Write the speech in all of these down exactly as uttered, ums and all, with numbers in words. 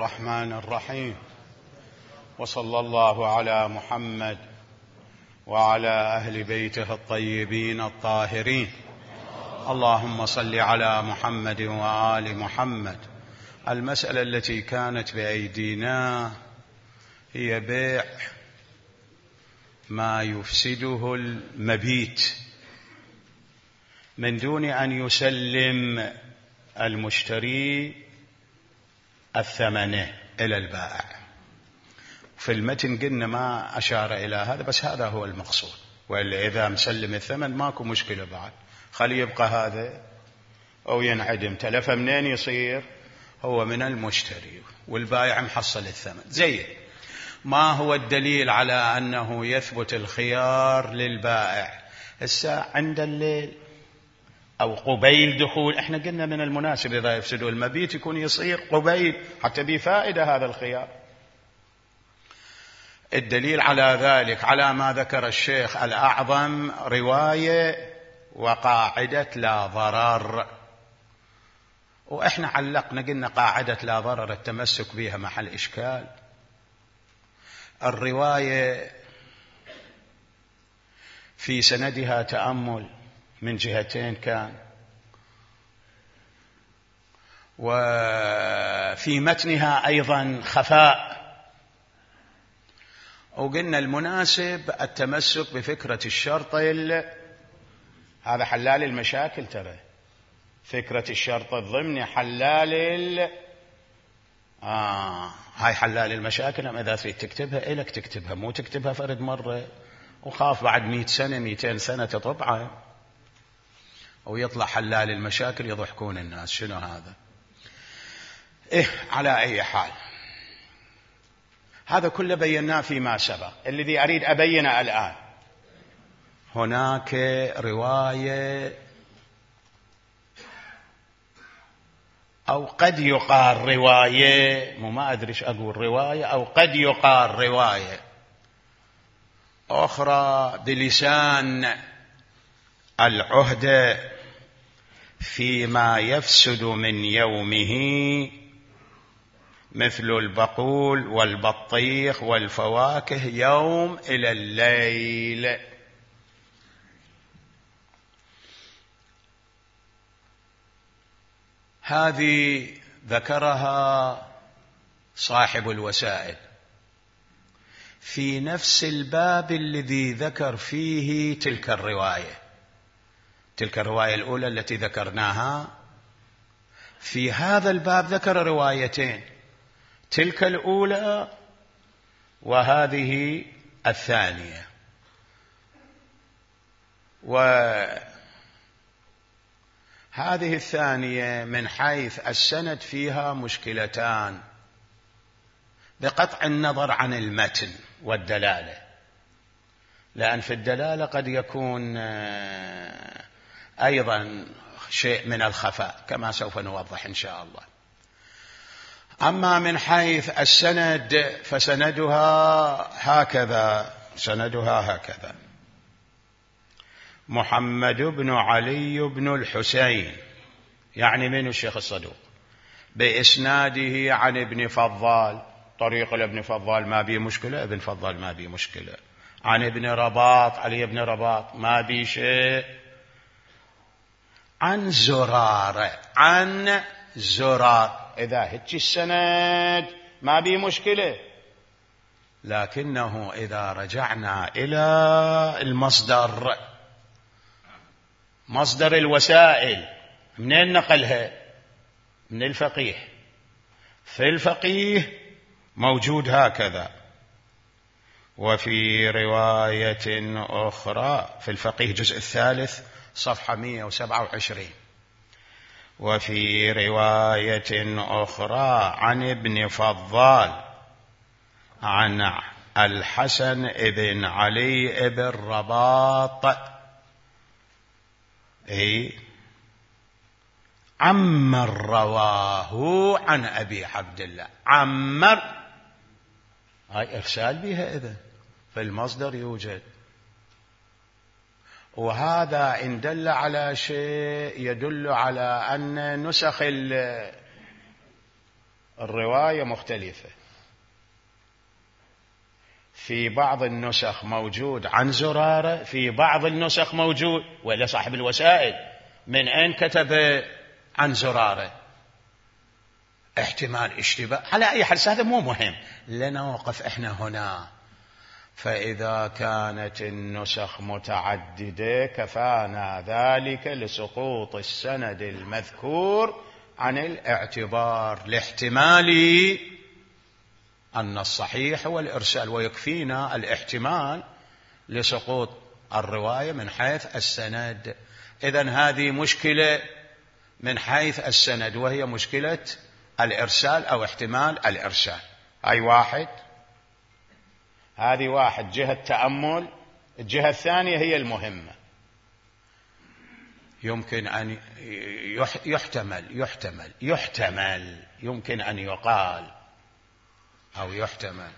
الرحمن الرحيم، وصلى الله على محمد وعلى أهل بيته الطيبين الطاهرين. اللهم صل على محمد وآل محمد. المسألة التي كانت بأيدينا هي بيع ما يفسده المبيت من دون أن يسلم المشتري الثمن إلى البائع. في المتن قلنا ما أشار إلى هذا، بس هذا هو المقصود، وإلا إذا مسلم الثمن ماكو مشكلة بعد، خلي يبقى هذا أو ينعدم. تلفه منين يصير؟ هو من المشتري، والبائع محصل الثمن. زين، ما هو الدليل على أنه يثبت الخيار للبائع؟ الساعة عند الليل أو قبيل دخول، احنا قلنا من المناسب إذا يفسدوا المبيت يكون يصير قبيل حتى بفائدة هذا الخيار. الدليل على ذلك على ما ذكر الشيخ الأعظم رواية وقاعدة لا ضرر، وإحنا علقنا قلنا قاعدة لا ضرر التمسك بها محل إشكال. الرواية في سندها تأمل من جهتين كان، وفي متنها أيضا خفاء، وقلنا المناسب التمسك بفكرة الشرط. هذا حلال المشاكل، ترى فكرة الشرط الضمني حلال ال... آه هاي حلال المشاكل. أما إذا تريد تكتبها إلك تكتبها، مو تكتبها فرد مرة وخاف بعد مئة سنة مئتين سنة تطبعها ويطلع حلال المشاكل يضحكون الناس. شنو هذا؟ إيه، على أي حال هذا كله بيناه فيما سبق. الذي أريد أبينه الآن، هناك رواية أو قد يقال رواية، مو ما أدري إيش أقول، رواية أو قد يقال رواية أخرى بلسان العهدة فيما يفسد من يومه، مثل البقول والبطيخ والفواكه يوم إلى الليل. هذه ذكرها صاحب الوسائل في نفس الباب الذي ذكر فيه تلك الرواية. تلك الرواية الأولى التي ذكرناها في هذا الباب ذكر روايتين، تلك الأولى وهذه الثانية. وهذه الثانية من حيث السند فيها مشكلتان بقطع النظر عن المتن والدلالة، لأن في الدلالة قد يكون أيضا شيء من الخفاء كما سوف نوضح إن شاء الله. أما من حيث السند فسندها هكذا، سندها هكذا: محمد بن علي بن الحسين، يعني من الشيخ الصدوق، بإسناده عن ابن فضال، طريق الابن فضال ما بي مشكلة، ابن فضال ما بي مشكلة، عن ابن رباط، علي بن رباط ما بي شيء، عن زرارة، عن زرار. إذا هيك السند ما بي مشكلة، لكنه إذا رجعنا إلى المصدر، مصدر الوسائل، منين نقلها؟ من الفقيه. في الفقيه موجود هكذا: وفي رواية أخرى، في الفقيه جزء الثالث صفحة مئة وسبعة وعشرين: وفي رواية أخرى عن ابن فضال عن الحسن بن علي بن رباط، أي عمر رواه عن أبي عبد الله. عمر هاي إرسال بها، إذن في المصدر يوجد. وهذا إن دل على شيء يدل على أن نسخ الرواية مختلفة. في بعض النسخ موجود عن زرارة، في بعض النسخ موجود ولا صاحب الوسائل من أين كتب عن زرارة؟ احتمال اشتباه. على أي حال هذا مو مهم، لنوقف احنا هنا. فإذا كانت النسخ متعددة كفانا ذلك لسقوط السند المذكور عن الاعتبار، لاحتمال أن الصحيح هو الإرسال، ويكفينا الاحتمال لسقوط الرواية من حيث السند. إذن هذه مشكلة من حيث السند، وهي مشكلة الإرسال أو احتمال الإرسال. هاي واحد، هذه واحد جهة تأمل. الجهة الثانية هي المهمة. يمكن أن يحتمل يحتمل يحتمل يمكن أن يقال أو يحتمل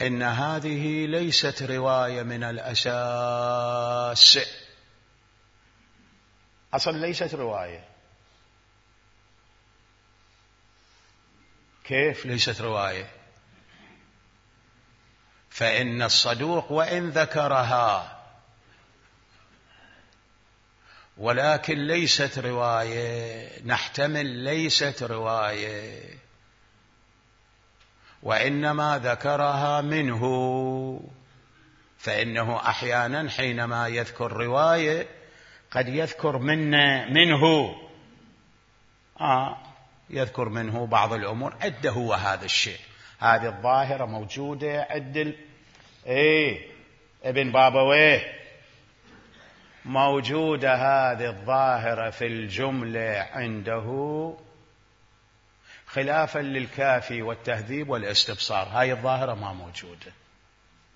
إن هذه ليست رواية من الأساس، أصلا ليست رواية. كيف ليست رواية؟ فإن الصدوق وإن ذكرها ولكن ليست رواية، نحتمل ليست رواية، وإنما ذكرها منه. فإنه أحيانا حينما يذكر رواية قد يذكر من منه آه يذكر منه بعض الأمور. عده هو هذا الشيء. هذه الظاهرة موجودة عند ايه ابن بابويه، موجودة هذه الظاهرة في الجملة عنده، خلافا للكافي والتهذيب والاستبصار. هاي الظاهرة ما موجودة،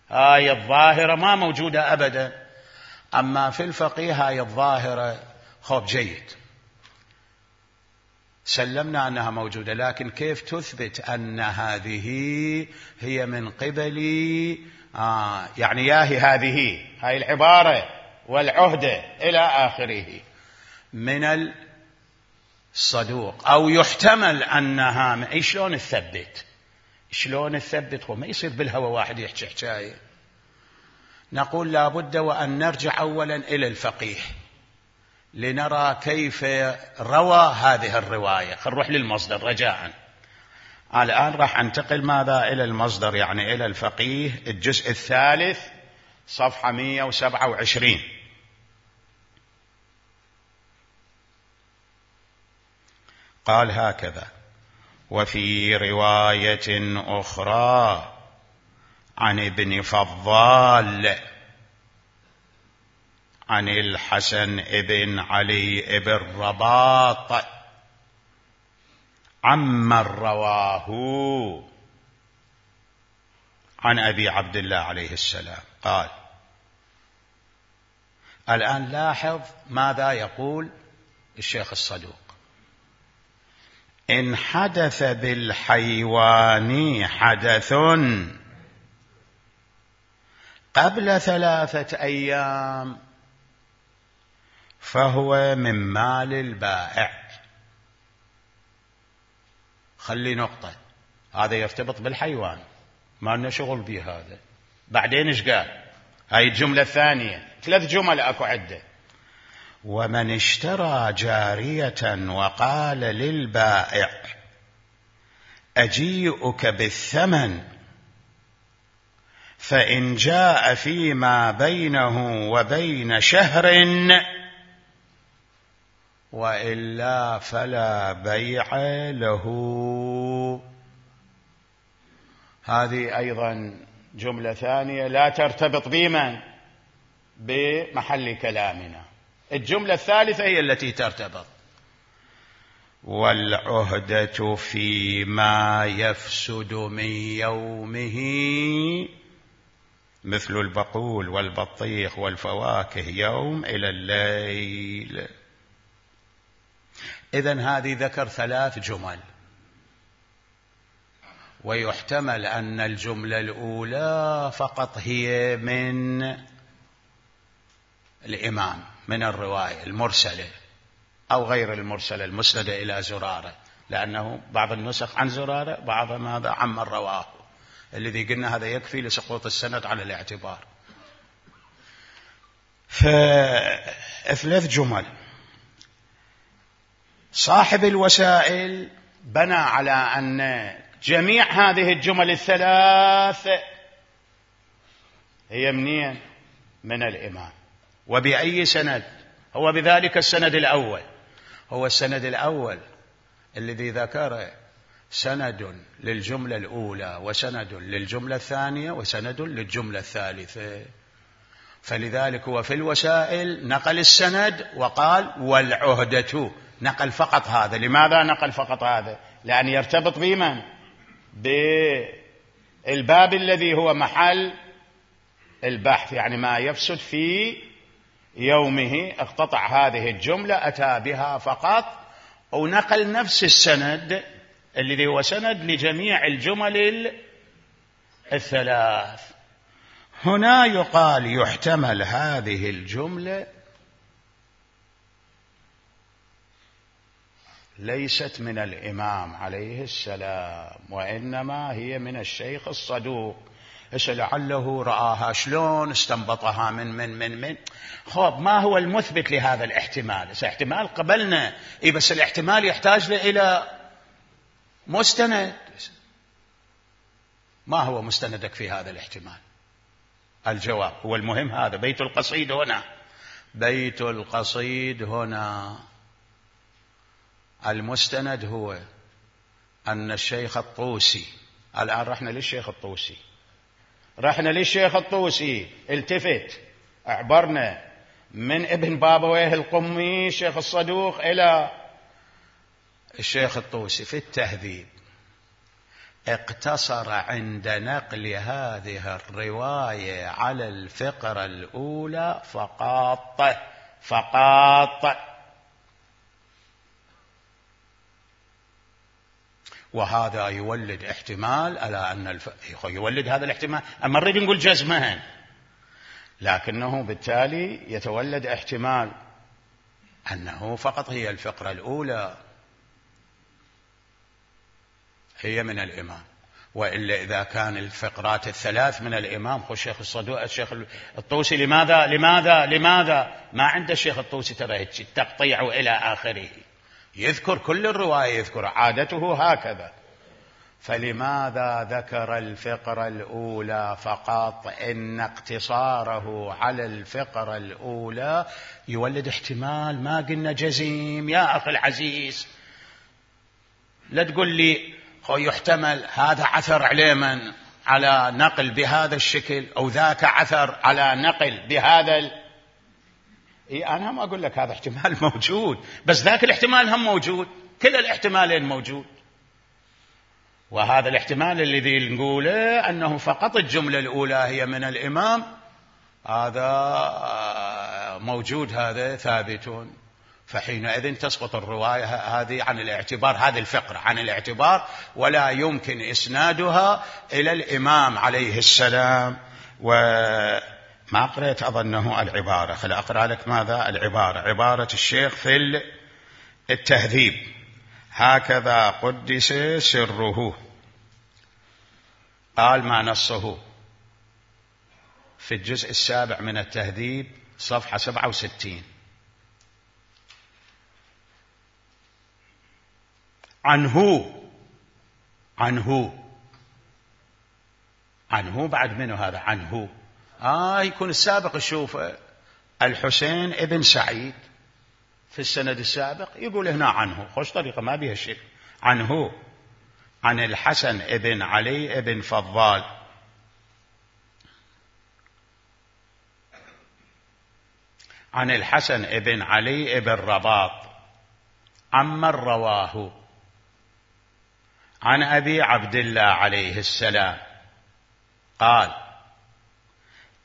هاي الظاهرة ما موجودة أبدا. أما في الفقيه هاي الظاهرة خوف جيد، سلمنا أنها موجودة، لكن كيف تثبت أن هذه هي من قبل آه يعني ياهي هذه هاي العبارة والعهدة إلى آخره من الصدوق، أو يحتمل أنها. شلون نثبت؟ شلون نثبت؟ هو ما يصير بالهوى واحد يحكي حكاية. نقول لابد وأن نرجع أولا إلى الفقيه لنرى كيف روى هذه الرواية. خل نروح للمصدر رجاءً. الآن راح أنتقل ماذا إلى المصدر، يعني إلى الفقيه، الجزء الثالث صفحة مئة وسبعة وعشرين. قال هكذا: وفي رواية أخرى عن ابن فضال عن الحسن ابن علي ابن رباط عمن رواه عن أبي عبد الله عليه السلام قال. الآن لاحظ ماذا يقول الشيخ الصدوق: إن حدث بالحيوان حدث قبل ثلاثة أيام فهو من مال البائع. خلي نقطة، هذا يرتبط بالحيوان، ما لنا شغل به هذا. بعدين ايش قال؟ هاي الجملة الثانية، ثلاث جمل اكو عدة. ومن اشترى جارية وقال للبائع أجيئك بالثمن فإن جاء فيما بينه وبين شهر وإلا فلا بيع له. هذه أيضا جملة ثانية لا ترتبط بمن بمحل كلامنا. الجملة الثالثة هي التي ترتبط. والعهدة فيما يفسد من يومه مثل البقول والبطيخ والفواكه يوم إلى الليل. إذن هذه ذكر ثلاث جمل، ويحتمل أن الجملة الأولى فقط هي من الإمام، من الرواية المرسلة أو غير المرسلة المسندة إلى زرارة، لأنه بعض النسخ عن زرارة، بعضها ماذا عن من رواه، الذي قلنا هذا يكفي لسقوط السند على الاعتبار. فثلاث جمل. صاحب الوسائل بنى على أن جميع هذه الجمل الثلاث هي منين؟ من الإمام. وبأي سند؟ هو بذلك السند الأول، هو السند الأول الذي ذكر سند للجملة الأولى وسند للجملة الثانية وسند للجملة الثالثة. فلذلك هو في الوسائل نقل السند وقال والعهدة، نقل فقط هذا. لماذا نقل فقط هذا؟ لأن يرتبط بمن؟ بالباب الذي هو محل البحث، يعني ما يفسد في يومه اقتطع هذه الجملة أتى بها فقط، ونقل نفس السند الذي هو سند لجميع الجمل الثلاث. هنا يقال يحتمل هذه الجملة ليست من الإمام عليه السلام، وإنما هي من الشيخ الصدوق. لعله رآها شلون استنبطها من من من من خب ما هو المثبت لهذا الاحتمال؟ احتمال قبلنا إيه، بس الاحتمال يحتاج إلى مستند. ما هو مستندك في هذا الاحتمال؟ الجواب هو المهم. هذا بيت القصيد هنا، بيت القصيد هنا المستند هو أن الشيخ الطوسي، الآن رحنا للشيخ الطوسي، رحنا للشيخ الطوسي، التفت اعبرنا من ابن بابويه القمي الشيخ الصدوق إلى الشيخ الطوسي في التهذيب. اقتصر عند نقل هذه الرواية على الفقرة الأولى فقط فقط، وهذا يولد احتمال على أن الف... يولد هذا الاحتمال. أما نريد نقول جزمها، لكنه بالتالي يتولد احتمال أنه فقط هي الفقرة الأولى هي من الإمام، وإلا إذا كان الفقرات الثلاث من الإمام خو الشيخ الصدوق الشيخ الطوسي لماذا لماذا لماذا ما عند الشيخ الطوسي ترى التقطيع إلى آخره، يذكر كل الرواية، يذكر عادته هكذا. فلماذا ذكر الفقرة الأولى فقط؟ إن اقتصاره على الفقرة الأولى يولد احتمال. ما قلنا جزيم يا أخي العزيز، لا تقول لي يحتمل هذا عثر عليه من على نقل بهذا الشكل أو ذاك عثر على نقل بهذا ال... إيه أنا ما أقول لك هذا احتمال موجود، بس ذاك الاحتمال هم موجود، كل الاحتمالين موجود. وهذا الاحتمال الذي نقوله أنه فقط الجملة الأولى هي من الإمام، هذا موجود، هذا ثابت. فحينئذ تسقط الرواية هذه عن الاعتبار، هذه الفقرة عن الاعتبار، ولا يمكن إسنادها إلى الإمام عليه السلام. وما قرأت أظنه العبارة، خل أقرأ لك ماذا العبارة. عبارة الشيخ في التهذيب: هكذا قدس سره. قال ما نصه في الجزء السابع من التهذيب صفحة سبعة وستين: عنه عنه عنه بعد منه هذا عنه آه يكون السابق. شوف الحسين ابن سعيد في السند السابق يقول هنا عنه، خوش طريقة ما بيها شيء. عنه عن الحسن ابن علي ابن فضال عن الحسن ابن علي ابن رباط عمن رواه عن أبي عبد الله عليه السلام قال: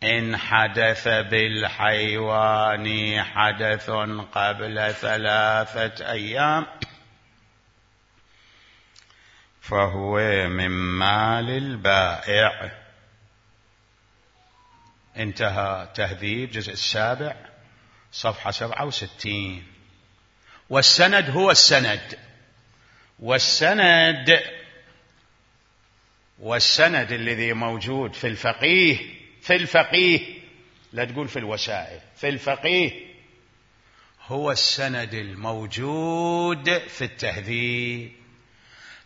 إن حدث بالحيوان حدث قبل ثلاثة أيام فهو من مال البائع. انتهى تهذيب جزء السابع صفحة سبعة وستين. والسند هو السند، والسند والسند الذي موجود في الفقيه في الفقيه لا تقول في الوسائل، في الفقيه هو السند الموجود في التهذيب،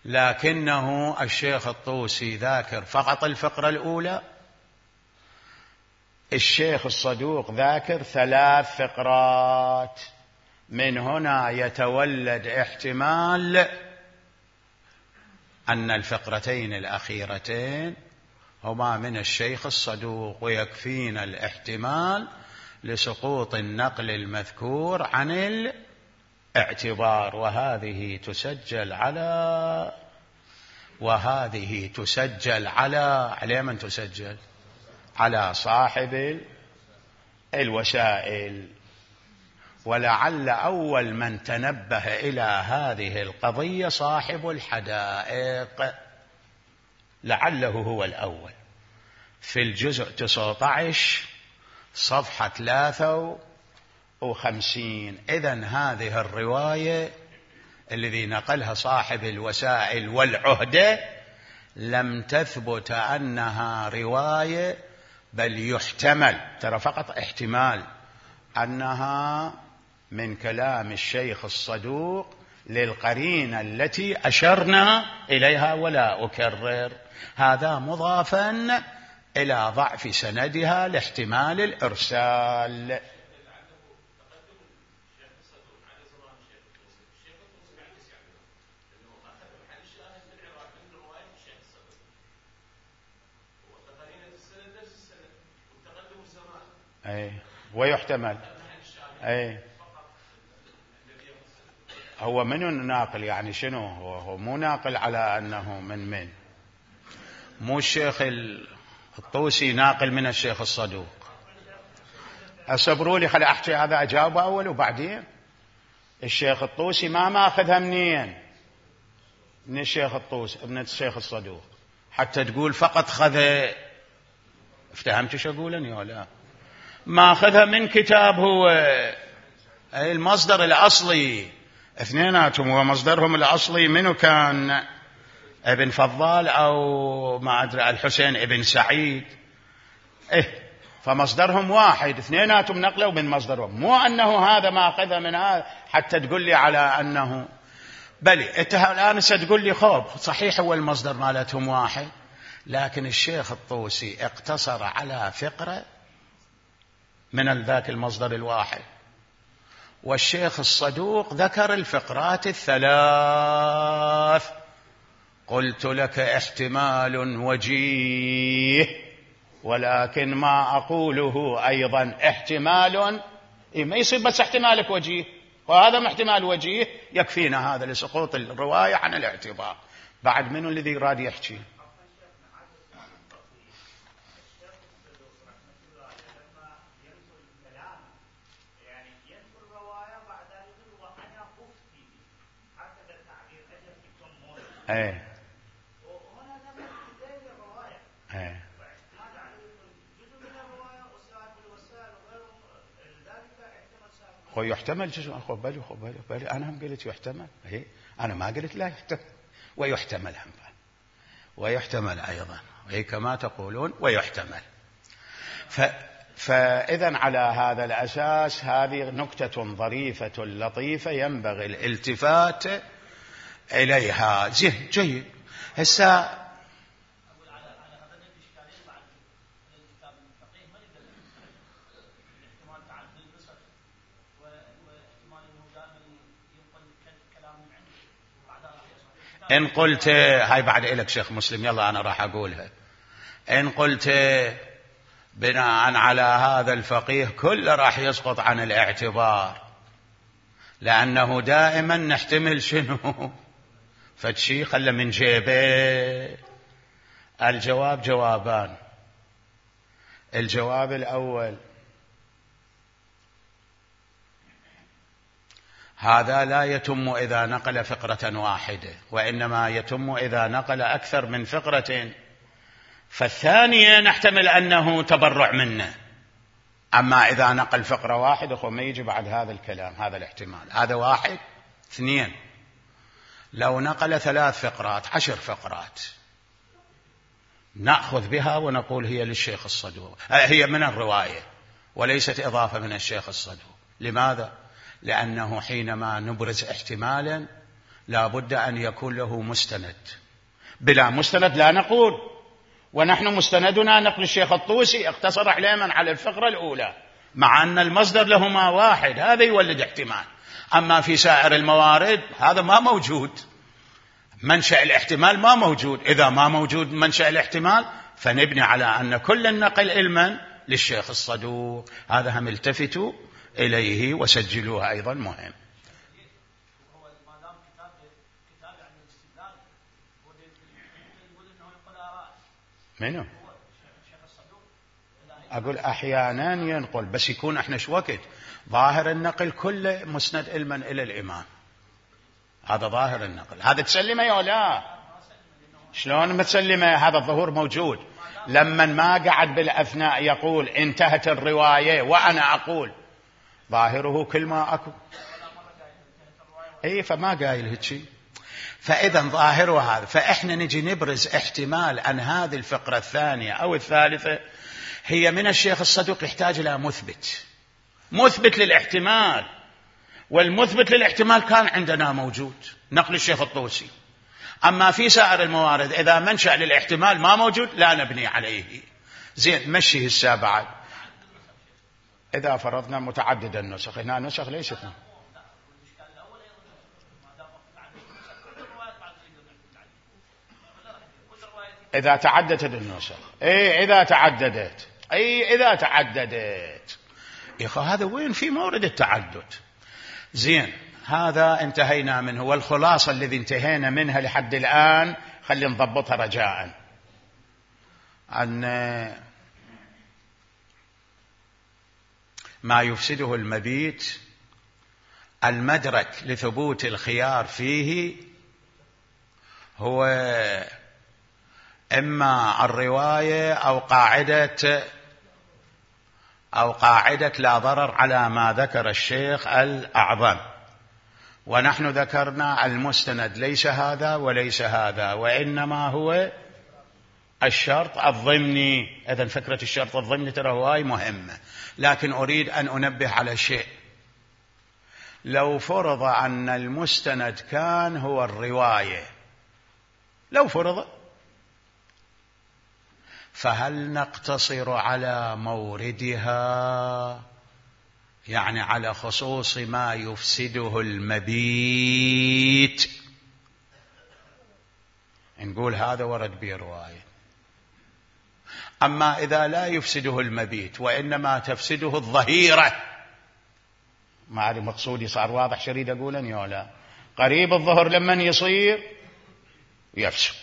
لكنه الشيخ الطوسي ذاكر فقط الفقرة الأولى، الشيخ الصدوق ذاكر ثلاث فقرات. من هنا يتولد احتمال أن الفقرتين الأخيرتين هما من الشيخ الصدوق، ويكفينا الاحتمال لسقوط النقل المذكور عن الاعتبار. وهذه تسجل على وهذه تسجل على على من تسجل؟ على صاحب الوسائل. ولعل أول من تنبه إلى هذه القضية صاحب الحدائق، لعله هو الأول، في الجزء تسعة عشر صفحة ثلاثة وخمسين. إذن هذه الرواية الذي نقلها صاحب الوسائل والعهدة لم تثبت أنها رواية، بل يحتمل، ترى فقط احتمال، أنها من كلام الشيخ الصدوق للقرينة التي أشرنا إليها ولا أكرر. هذا مضافا إلى ضعف سندها لاحتمال الإرسال. أي ويحتمل. أي هو من الناقل يعني شنو؟ هو, هو مو ناقل على أنه من من مو الشيخ الطوسي ناقل من الشيخ الصدوق. أصبروا لي خلي أحكي هذا أجاوبه أول وبعدين. الشيخ الطوسي ما ماخذها منين؟ من الشيخ الطوسي من الشيخ الصدوق، حتى تقول فقط خذ. افتهمت شو أقولني ولا؟ ما أخذها من كتاب هو المصدر الأصلي، اثنيناتهم هو مصدرهم الأصلي. منو كان؟ ابن فضال أو ما أدري الحسين ابن سعيد. إيه فمصدرهم واحد، اثنيناتهم نقلوا من مصدرهم، مو أنه هذا ما أخذها من هذا حتى تقول لي على أنه بلي. أنت الآن ستقول لي خوب صحيح هو المصدر مالتهم واحد، لكن الشيخ الطوسي اقتصر على فقرة من ذاك المصدر الواحد، والشيخ الصدوق ذكر الفقرات الثلاث. قلت لك احتمال وجيه، ولكن ما أقوله أيضا احتمال ما يصير بس احتمالك وجيه، وهذا احتمال وجيه يكفينا هذا لسقوط الرواية عن الاعتبار. بعد منه الذي راد يحكي؟ ايه ايه هو يحتمل جزء. خذ بالي خذ بالي بالي انا هم قلت يحتمل. ايه انا ما قلت لا يحتمل، ويحتمل هم ويحتمل ايضا، اي كما تقولون ويحتمل. ف فاذا على هذا الاساس هذه نكتة ظريفة لطيفة ينبغي الالتفات إليها. زين جيد. هسه إن قلت هاي بعد إلك شيخ مسلم، يلا أنا راح أقولها. إن قلت بناء على هذا الفقيه كله راح يسقط عن الاعتبار، لأنه دائما نحتمل شنو؟ فشي خلى من جيبه. الجواب جوابان. الجواب الأول هذا لا يتم إذا نقل فقرة واحدة، وإنما يتم إذا نقل أكثر من فقرة. فالثانية نحتمل أنه تبرع منه، أما إذا نقل فقرة واحدة فما يجي بعد هذا الكلام، هذا الاحتمال. هذا واحد. اثنين، لو نقل ثلاث فقرات عشر فقرات نأخذ بها ونقول هي للشيخ الصدوق، هي من الرواية وليست إضافة من الشيخ الصدوق. لماذا؟ لأنه حينما نبرز احتمالا لا بد أن يكون له مستند، بلا مستند لا نقول. ونحن مستندنا نقل الشيخ الطوسي اقتصر علما على الفقرة الأولى، مع أن المصدر لهما واحد، هذا يولد احتمال. أما في سائر الموارد هذا ما موجود، منشأ الاحتمال ما موجود. إذا ما موجود منشأ الاحتمال فنبني على أن كل النقل علما للشيخ الصدوق. هذا هم التفتوا إليه وسجلوه أيضا مهم. منو؟ أقول أحيانا ينقل، بس يكون احنا شو وقت ظاهر النقل كله مسند علما إلى الإمام، هذا ظاهر النقل. هذا تسلمه يا لا؟ شلون ما تسلمه؟ هذا الظهور موجود. لما ما قعد بالأثناء يقول انتهت الرواية وأنا أقول ظاهره كل ما أكو، أي فما قايل هيك شيء. فإذا ظاهره هذا. فإحنا نجي نبرز احتمال أن هذه الفقرة الثانية أو الثالثة هي من الشيخ الصدوق، يحتاج إلى مثبت، مثبت للاحتمال. والمثبت للاحتمال كان عندنا موجود، نقل الشيخ الطوسي. أما في سائر الموارد إذا منشأ للاحتمال ما موجود لا نبني عليه. زين، مشي السابعة. إذا فرضنا متعدد النسخ، هنا نسخ ليست. إذا تعددت النسخ، أي إذا تعددت، أي إذا تعددت يا أخي هذا وين في مورد التعدد؟ زين، هذا انتهينا منه. والخلاصة الذي انتهينا منها لحد الآن خلي نضبطها رجاء، أن ما يفسده المبيت المدرك لثبوت الخيار فيه هو إما الرواية أو قاعدة أو قاعدة لا ضرر على ما ذكر الشيخ الأعظم. ونحن ذكرنا المستند ليس هذا وليس هذا، وإنما هو الشرط الضمني. إذن فكرة الشرط الضمني ترى هواي مهمة. لكن أريد أن أنبه على شيء. لو فرض أن المستند كان هو الرواية، لو فرض، فهل نقتصر على موردها، يعني على خصوص ما يفسده المبيت، نقول هذا ورد به رواية. أما إذا لا يفسده المبيت وإنما تفسده الظهيرة، ما أعرف مقصودي صار واضح شريد أقولا يا لا؟ قريب الظهر لمن يصير يفسد،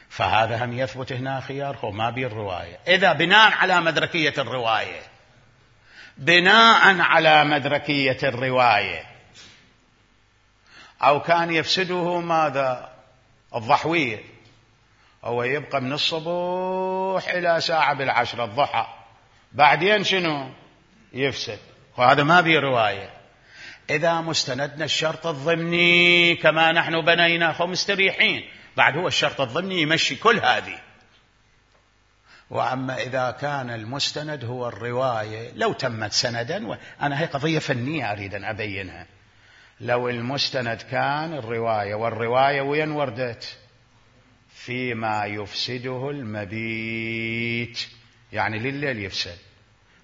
فهذا هم يثبت هنا خيار هو ما بي الرواية. إذا بناء على مدركية الرواية، بناء على مدركية الرواية، أو كان يفسده ماذا؟ الضحوية، هو يبقى من الصبح إلى ساعة بالعشرة الضحى، بعدين شنو يفسد، وهذا ما بي رواية. إذا مستندنا الشرط الضمني كما نحن بنينا فمستريحين، بعد هو الشرط الضمني يمشي كل هذه. وأما إذا كان المستند هو الرواية، لو تمت سندا، وأنا هي قضية فنية أريد أن أبينها، لو المستند كان الرواية، والرواية وين وردت؟ فيما يفسده المبيت، يعني لليل يفسد.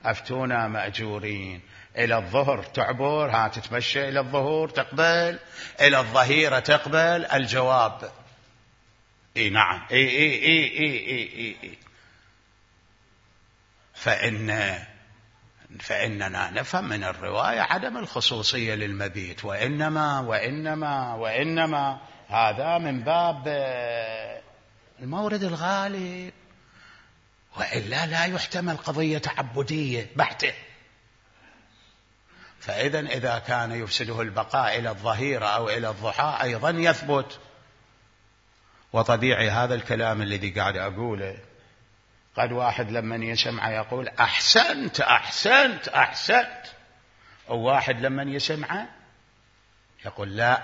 أفتونا مأجورين، إلى الظهر تعبر، ها تتمشى إلى الظهور تقبل، إلى الظهيرة تقبل. الجواب إيه نعم، إيه إيه إيه إيه إيه إيه إيه. فإن فإننا نفهم من الرواية عدم الخصوصية للمبيت، وإنما وإنما وإنما هذا من باب المورد الغالب، وإلا لا يحتمل قضية تعبدية بحتة. فإذا إذا كان يفسده البقاء إلى الظهيرة أو إلى الضحى أيضا يثبت. وطبيعي هذا الكلام الذي قاعد أقوله، قد واحد لمن يسمع يقول أحسنت أحسنت أحسنت، وواحد لمن يسمع يقول لا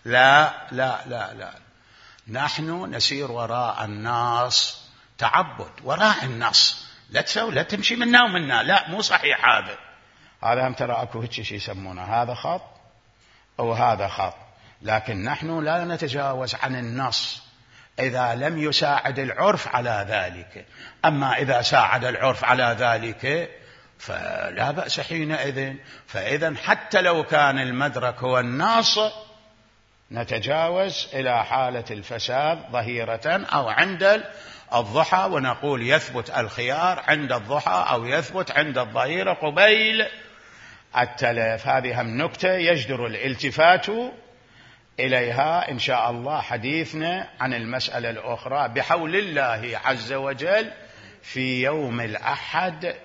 لا لا لا لا، نحن نسير وراء النص، تعبد وراء النص، لا تسوي لا تمشي منا ومنا، لا مو صحيح هذا. هذا هم ترى اكو هيك شيء يسمونه هذا خط او هذا خط، لكن نحن لا نتجاوز عن النص إذا لم يساعد العرف على ذلك. أما إذا ساعد العرف على ذلك فلا بأس حينئذ. فإذا حتى لو كان المدرك هو النص نتجاوز إلى حالة الفساد ظهيرة أو عند الضحى، ونقول يثبت الخيار عند الضحى أو يثبت عند الظهيرة قبيل التلف. هذه هم نكتة يجدر الالتفات إليها إن شاء الله حديثنا عن المسألة الأخرى بحول الله عز وجل في يوم الأحد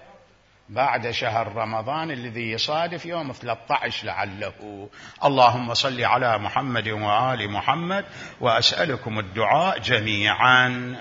بعد شهر رمضان الذي يصادف يوم ثلاثة عشر لعله. اللهم صل على محمد وآل محمد، وأسألكم الدعاء جميعا.